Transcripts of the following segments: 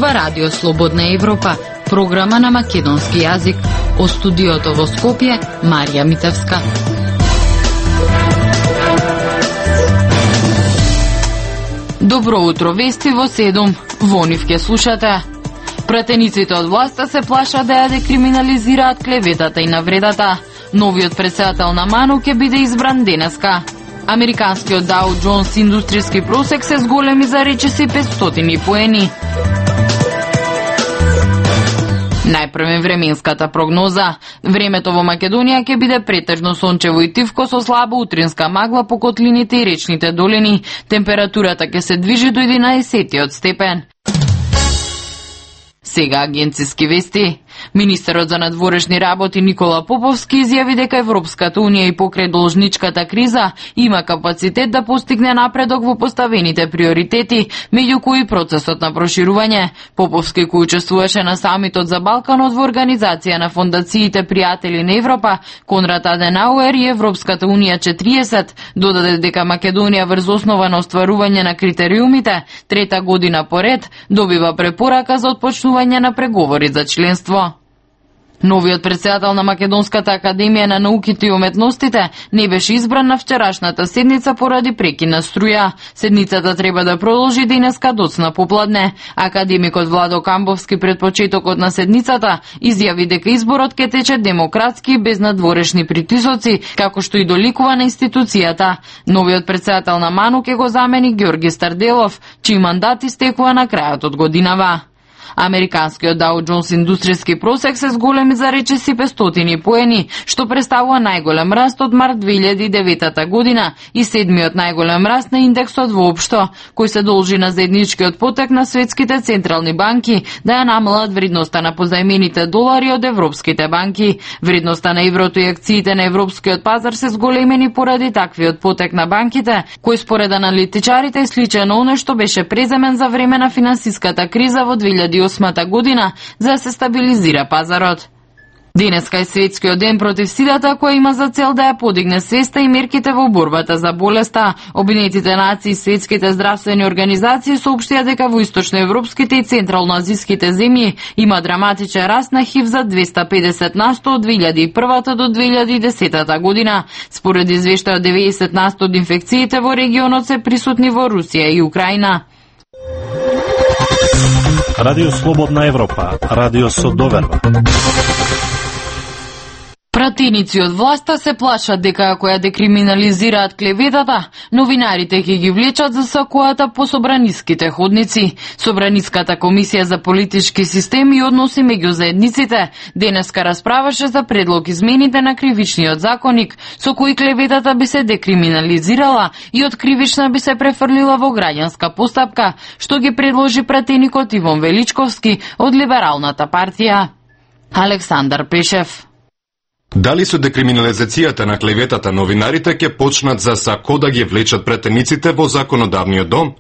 зборува Радио Слободна Европа, програма на македонски јазик. О студиото во Скопје, Марија Митевска. Добро утро, вести во 7. Во нив ке слушате. Пратениците од власта се плашат да ја декриминализираат клеветата и навредата. Новиот претседател на МАНУ ќе биде избран денеска. Американскиот Dow Jones индустријски просек се зголеми за речиси 500 поени. Најпрвен временската прогноза. Времето во Македонија ќе биде претежно сончево и тивко со слаба утринска магла по котлините и речните долини. Температурата ќе се движи до 11 степен. Сега агенциски вести. Министерот за надворешни работи Никола Поповски изјави дека Европската унија и покрај должничката криза има капацитет да постигне напредок во поставените приоритети, меѓу кои процесот на проширување. Поповски, кој учествуваше на самитот за Балканот во организација на фондациите Пријатели на Европа, Конрад Аденауер и Европската унија 40, додаде дека Македонија врз основа на остварување на критериумите, трета година поред, добива препорака за отпочнување на преговори за членство. Новиот претседател на Македонската академија на науките и уметностите не беше избран на вчерашната седница поради прекина струја. Седницата треба да продолжи денеска доцна попладне. Академикот Владо Камбовски пред почетокот на седницата изјави дека изборот ќе тече демократски и без надворешни притисоци, како што и доликува на институцијата. Новиот претседател на МАНУ ќе го замени Ѓорги Старделов, чиј мандат истекува на крајот од годинава. Американскиот Dow Jones индустријски просек се зголеми за речиси 500 поени, што представува најголем раст од март 2009 година и седмиот најголем раст на индексот воопшто, кој се должи на заедничкиот потек на светските централни банки да ја намалат вредноста на позајмените долари од европските банки. Вредноста на еврото и акциите на европскиот пазар се зголемени поради таквиот потек на банките, кој според аналитичарите е сличен на оној што беше преземен за време на финансиската криза во 2008 година за да се стабилизира пазарот. Денеска е светскиот ден против сидата, која има за цел да ја подигне свеста и мерките во борбата за болеста. Обединетите нации и светските здравствени организации соопштија дека во источноевропските и централноазиските земји има драматичен раст на ХИВ за 250% од 2001 до 2010 година. Според извештајот 90% од инфекциите во регионот се присутни во Русија и Украина. Радио Слободна Европа, радио со доверба. Пратеници од власта се плашат дека ако ја декриминализираат клеветата, новинарите ќе ги влечат за сакоата по собраниските ходници. Собраниската комисија за политички системи и односи меѓу заедниците денеска расправаше за предлог измените на кривичниот законник, со кој клеветата би се декриминализирала и од кривична би се префрлила во граѓанска постапка, што ги предложи пратеникот Иван Величковски од Либералната партија. Александар Пешев. Дали со декриминализацијата на клеветата новинарите ќе почнат за сако да ги влечат пратениците во законодавниот дом?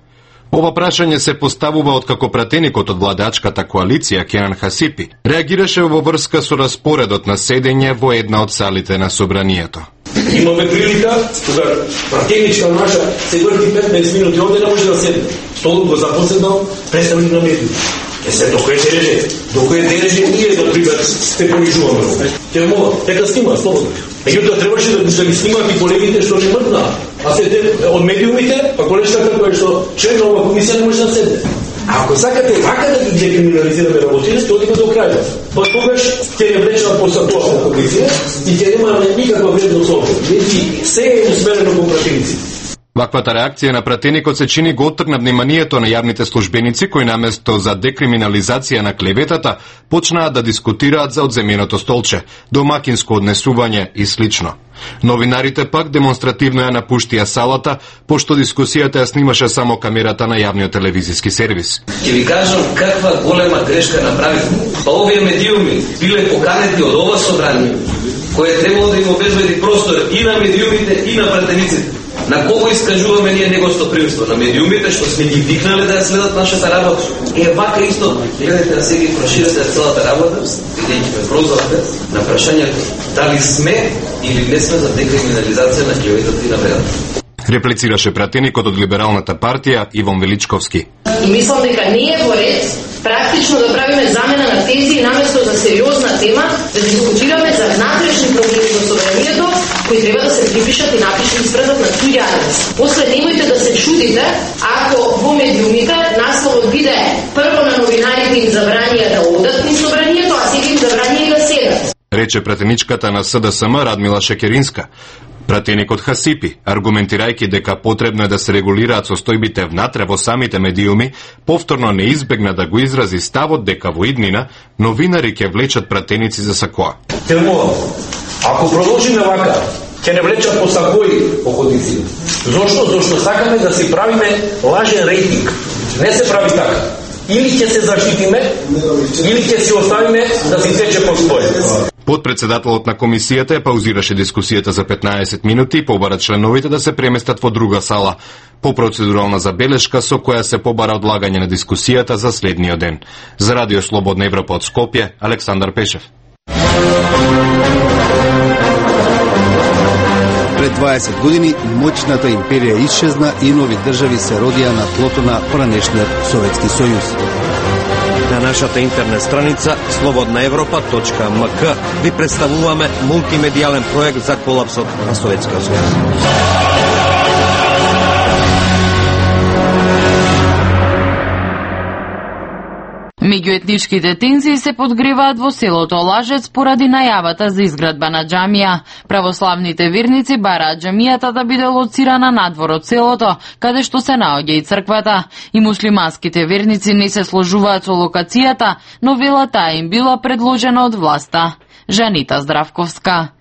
Ова прашање се поставува откако пратеникот од владачката коалиција Кенан Хасипи реагираше во врска со распоредот на седење во една од салите на собранието. Имаме прилика кога пратеничка наша се врти 15 минути овде не може да седне. Столот го запоседнал представник на медиите. Се докој се реже, докој деже ние да прибер сте понижуваме. Те мола, дека снима слободно. Меѓутоа требаше да ги снимаат и колегите што не мртна. А се од медиумите, па колешката која што член на оваа комисија не може да седне. А ако сакате вака да ги декриминализираме работите, ќе одиме до крајот. Па тогаш ќе не влечат по сакоа комисија и ќе нема никаква вредност овде. Значи се е усмерено кон пратениците. Ваквата реакција на пратеникот се чини го оттргна вниманието на јавните службеници кои наместо за декриминализација на клеветата почнаа да дискутираат за одземеното столче, домакинско однесување и слично. Новинарите пак демонстративно ја напуштија салата, пошто дискусијата ја снимаше само камерата на јавниот телевизиски сервис. Ќе ви кажам каква голема грешка направивме. Па овие медиуми биле поканети од ова собрание, кое требало да им обезбеди простор и на медиумите и на пратениците. На кого искажуваме ние негостопримство? На медиумите што сме ги викнале да ја следат нашата работа. Вака исто, гледате да се ги проширате целата работа, бидејќи ме прозвавте на прашањето дали сме или не сме за декриминализација на клеветата и навредата. Реплицираше пратеникот од Либералната партија Иван Величковски. И мислам дека не е во ред практично да правиме замена на тези наместо за сериозна тема, да дискутираме за внатрешни проблеми во собранието, кои треба да се припишат и напишат и спредат на туѓи анализ. После немојте да се чудите ако во медиумите насловот биде прво на новинарите им забранија да одат низ собранието, а сега им забранија да седат. Рече пратеничката на СДСМ Радмила Шекеринска. Пратеникот Хасипи, аргументирајќи дека потребно е да се регулираат состојбите внатре во самите медиуми, повторно не избегна да го изрази ставот дека во иднина новинари ќе влечат пратеници за сакоа. Телмувам, ако продолжиме вака, ќе не влечат по сакои походници. Зошто сакаме да си правиме лажен рейтинг. Не се прави така. Или ќе се заштитиме, или ќе си оставиме да си тече по своје. Подпредседателот на комисијата паузираше дискусијата за 15 минути и побара членовите да се преместат во друга сала, по процедурална забелешка со која се побара одлагање на дискусијата за следниот ден. За Радио Слободна Европа од Скопје, Александар Пешев. Пред 20 години моќната империја исчезна и нови држави се родија на тлото на поранешниот Советски сојуз. На нашата интернет страница slobodnaevropa.mk ви представуваме мултимедијален проект за колапсот на Советскиот сојуз. Меѓуетничките тензии се подгреваат во селото Лажец поради најавата за изградба на џамија. Православните верници бараат џамијата да биде лоцирана надвор од селото, каде што се наоѓа и црквата. И муслиманските верници не се сложуваат со локацијата, но велат таа им била предложена од власта. Жанита Здравковска.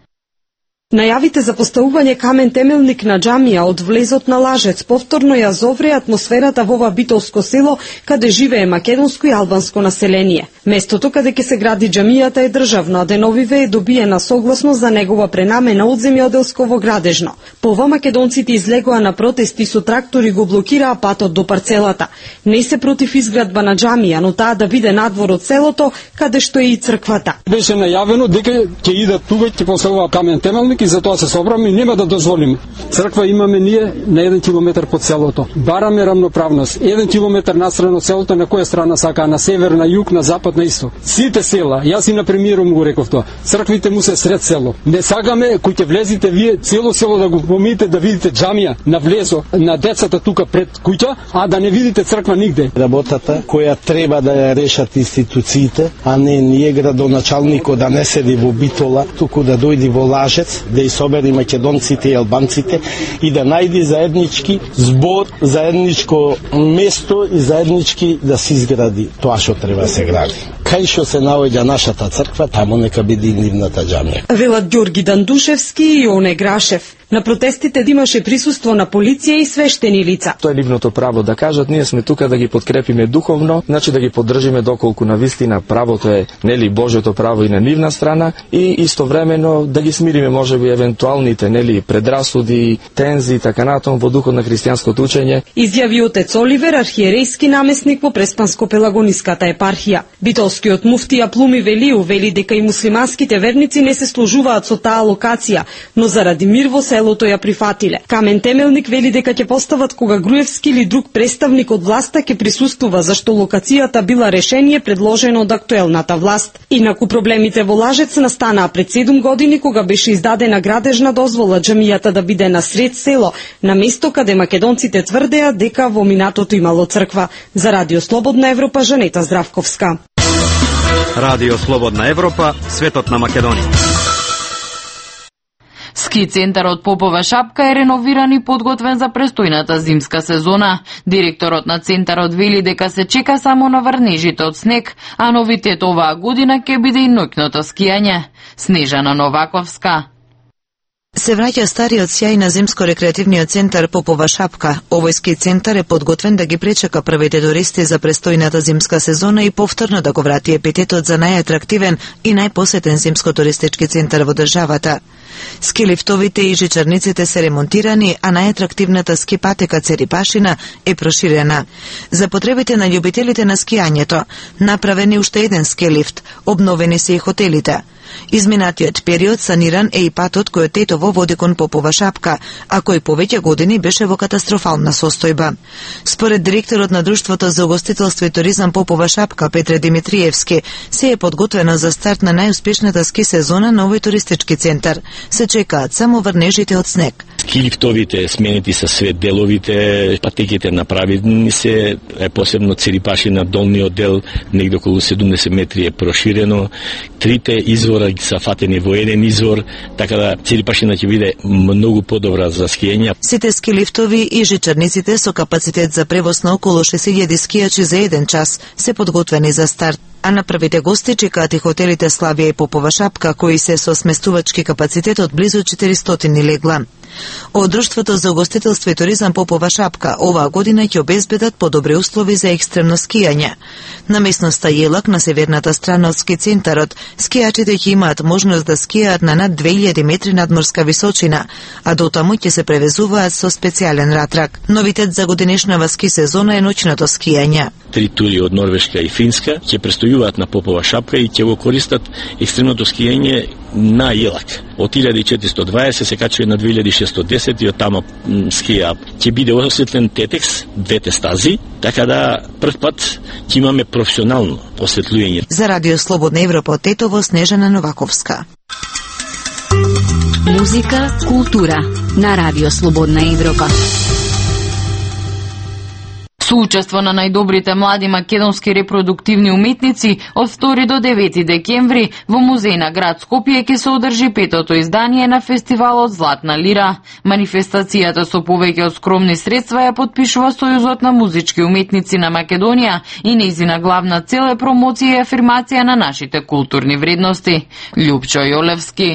Најавите за поставување камен темелник на џамија од влезот на Лажец повторно ја зовре атмосферата во ова битолско село, каде живее македонско и албанско население. Местото каде ќе се гради џамијата е државно, а деновиве е добиена согласност за негова пренамена од земјоделско во градежно. По ова македонците излегоа на протести со трактори го блокираа патот до парцелата. Не се против изградба на џамија, но таа да биде надвор од селото, каде што е и црквата. Беше најавено дека ќе идат тука, ќе поставува камен темелник и затоа се собраме и нема да дозволиме. Црква имаме ние на 1 километар под селото. Бараме рамноправност. 1 километар настрана од селото, на која страна сака, на север, на југ, на запад, на исток. Сите села, јас и на премиером го реков тоа. Црквите му се сред село. Не сакаме кој ќе влезите вие цело село да го помиете да видите џамија на влезо на децата тука пред куќа, а да не видите црква нигде. Работата која треба да ја решат институциите, а не ние градоначалникот да не седи во Битола, туку да дојди во Лажец, да собери македонците и албанците и да најди заеднички збор, заедничко место и заеднички да се изгради тоа што треба да се гради. Кај што се наоѓа нашата црква, таму нека биде и нивната џамија. Велат Ѓорги Дандушевски и Оне Грашев. На протестите имаше присуство на полиција и свештени лица. Тоа е нивното право да кажат, ние сме тука да ги подкрепиме духовно, значи да ги поддржиме доколку на вистина правото е нели Божјото право и на нивна страна и истовремено да ги смириме можеби евентуалните нели предрасуди, тензи и така натаму во духот на христијанското учење. Изјави отец Оливер, архиерејски наместник во Преспанско-Пелагониската епархија. Битолскиот муфтија Плуми Велиу вели дека и муслиманските верници не се сложуваат со таа локација, но заради мир во селото ја прифатиле. Камен темелник вели дека ќе постават кога Груевски или друг представник од власта ќе присуствува, зашто локацијата била решение предложено од актуелната власт. Инаку проблемите во Лажец настанаа пред 7 години кога беше издадена градежна дозвола џамијата да биде на сред село, на место каде македонците тврдеа дека во минатото имало црква. За Радио Слободна Европа, Жанета Здравковска. Радио Слободна Европа, светот на Македонија. Ски центарот Попова шапка е реновиран и подготвен за престојната зимска сезона. Директорот на центарот вели дека се чека само на врнежите од снег, а новитет оваа година ќе биде и ноќното скијање. Снежана Новаковска. Се враќа стариот сјај на зимско-рекреативниот центар Попова шапка. Овој ски центар е подготвен да ги пречека првите туристи за престојната зимска сезона и повторно да го врати епитетот за најатрактивен и најпосетен зимско-туристички центар во државата. Ски лифтовите и жичарниците се ремонтирани, а најатрактивната ски патека Церипашина е проширена. За потребите на љубителите на скијањето, направен е уште еден ски лифт, обновени се и хотелите. Изминатиот период саниран е и патот кој од Тетово води кон Попова шапка, а кој повеќе години беше во катастрофална состојба. Според директорот на Друштвото за угостителство и туризам Попова шапка Петре Димитриевски, се е подготвено за старт на најуспешната ски сезона на овој туристички центар. Се чекаат само врнежите од снег. Ски лифтовите сменети се све деловите, патеките направени се, посебно Церипашина долниот дел, негде околу 70 метри е проширено. Трите извора са фатени во еден извор, така да Церипашина ќе биде многу подобра за скијање. Сите ски лифтови и жичарниците со капацитет за превоз на околу 6000 скијачи за еден час се подготвени за старт. А на првите гости чекаат и хотелите Славија и Попова шапка, кои се со сместувачки капацитет од близу 400 легла. Од Друштвото за угостителство и туризам Попова шапка оваа година ќе обезбедат подобри услови за екстремно скијање. На местноста Јелак, на северната страна од ски центарот, скијачите ќе имаат можност да скијаат на над 2000 метри надморска височина, а дотаму ќе се превезуваат со специјален ратрак. Новитет за годинешнава ски сезона е ноќното скијање. 3 тури од Норвешка и Финска ќе престојуваат на Попова шапка и ќе го користат екстремното скијање на Јелак. Од 1420 се качува на 2610 и од тама скија. Ќе биде осветлен тетекс, двете стази, така да прв пат ќе имаме професионално осветлување. За Радио Слободна Европа од Тетово, Снежана Новаковска. Музика, култура на Радио Слободна Европа. Соучество на најдобрите млади македонски репродуктивни уметници од 2 до 9 декември во музеј на град Скопје ќе се одржи 5-то издание на фестивалот Златна лира. Манифестацијата со повеќе од скромни средства ја подпишува Сојузот на музички уметници на Македонија и нејзина главна цел е промоција и афирмација на нашите културни вредности. Љупчо Јолевски.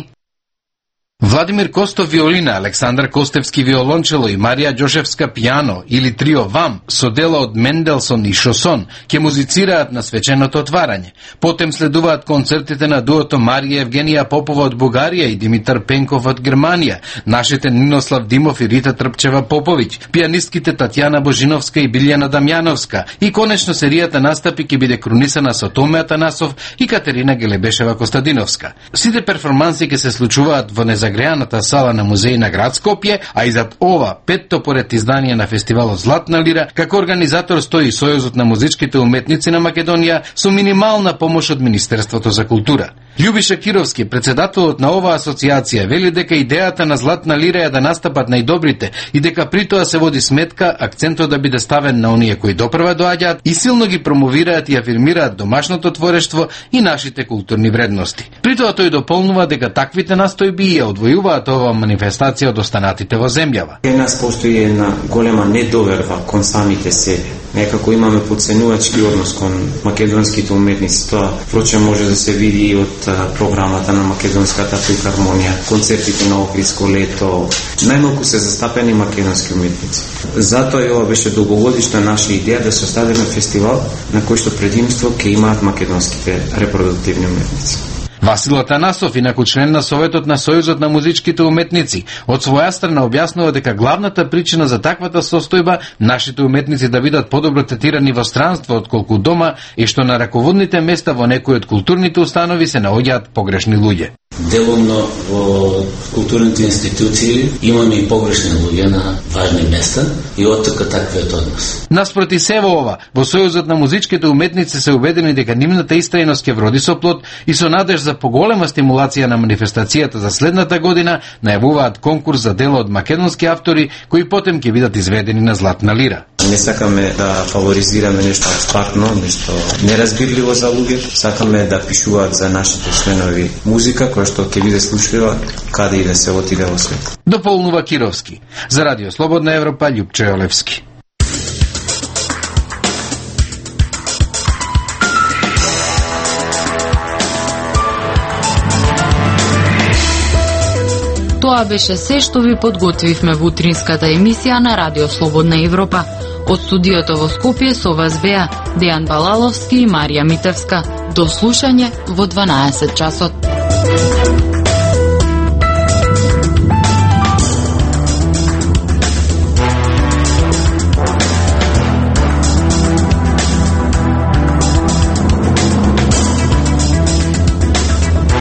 Владимир Костов виолина, Александар Костевски виолончело и Марија Ѓошевска пијано или трио ВАМ со дела од Менделсон и Шосон ќе музицираат на свеченото отварање. Потем следуваат концертите на дуото Марија Евгенија Попова од Бугарија и Димитар Пенков од Германија, нашите Нинослав Димов и Рита Трпчева Поповиќ, пијанистките Татјана Божиновска и Билјана Дамјановска и конечно серијата настапи ќе биде крунисана со Томе Атанасов и Катерина Гелебешева Костадиновска. Сите перформанси ќе се случуваат во загрејаната сала на музеј на град Скопје, а и зад ова, 5-то поред издание на фестивалот Златна лира, како организатор стои Сојузот на музичките уметници на Македонија со минимална помош од Министерството за култура. Љубиша Кировски, председателот на оваа асоциација, вели дека идејата на Златна лира е да настапат најдобрите и дека при тоа се води сметка акцентот да биде ставен на оние кои допрва доаѓаат и силно ги промовираат и афирмираат домашното творештво и нашите културни вредности. При тоа тој дополнува дека таквите настојби ја одвојуваат оваа манифестација од останатите во земјава. Кај нас постои една голема недоверба кон самите себе. Некако имаме подценувачки однос кон македонските уметници. Тоа впрочем може да се види и од програмата на Македонската филхармонија, концертите на Охридско лето. Најмалку се застапени македонски уметници. Затоа и ова беше долгогодишна наша идеја да се оставиме фестивал на кој што предимство ќе имаат македонските репродуктивни уметници. Васил Атанасов, инаку член на Советот на Сојузот на музичките уметници, од своја страна објаснува дека главната причина за таквата состојба нашите уметници да бидат подобро третирани во странство отколку дома е што на раководните места во некои од културните установи се наоѓаат погрешни луѓе. Делумно во културните институции имаме и погрешни луѓе на важни места и оттука таквиот однос. Наспроти се во ова, во Сојузот на музичките уметници се убедени дека нивната истрајност ќе вроди со плод и со надеж за поголема стимулација на манифестацијата за следната година најавуваат конкурс за дела од македонски автори кои потем ќе бидат изведени на Златна лира. Не сакаме да фаворизираме нешто абстрактно, нешто неразбирливо за луѓето. Сакаме да пишуваат за нашите членови музика која што ќе биде слушлива каде и да се отиде во свет. Дополнува Кировски. За Радио Слободна Европа, Љупчо Јолевски. Тоа беше се што ви подготвивме во утринската емисија на Радио Слободна Европа. Од студиото во Скопје со вас беа Дејан Балаловски и Марија Митевска. До слушање во 12 часот.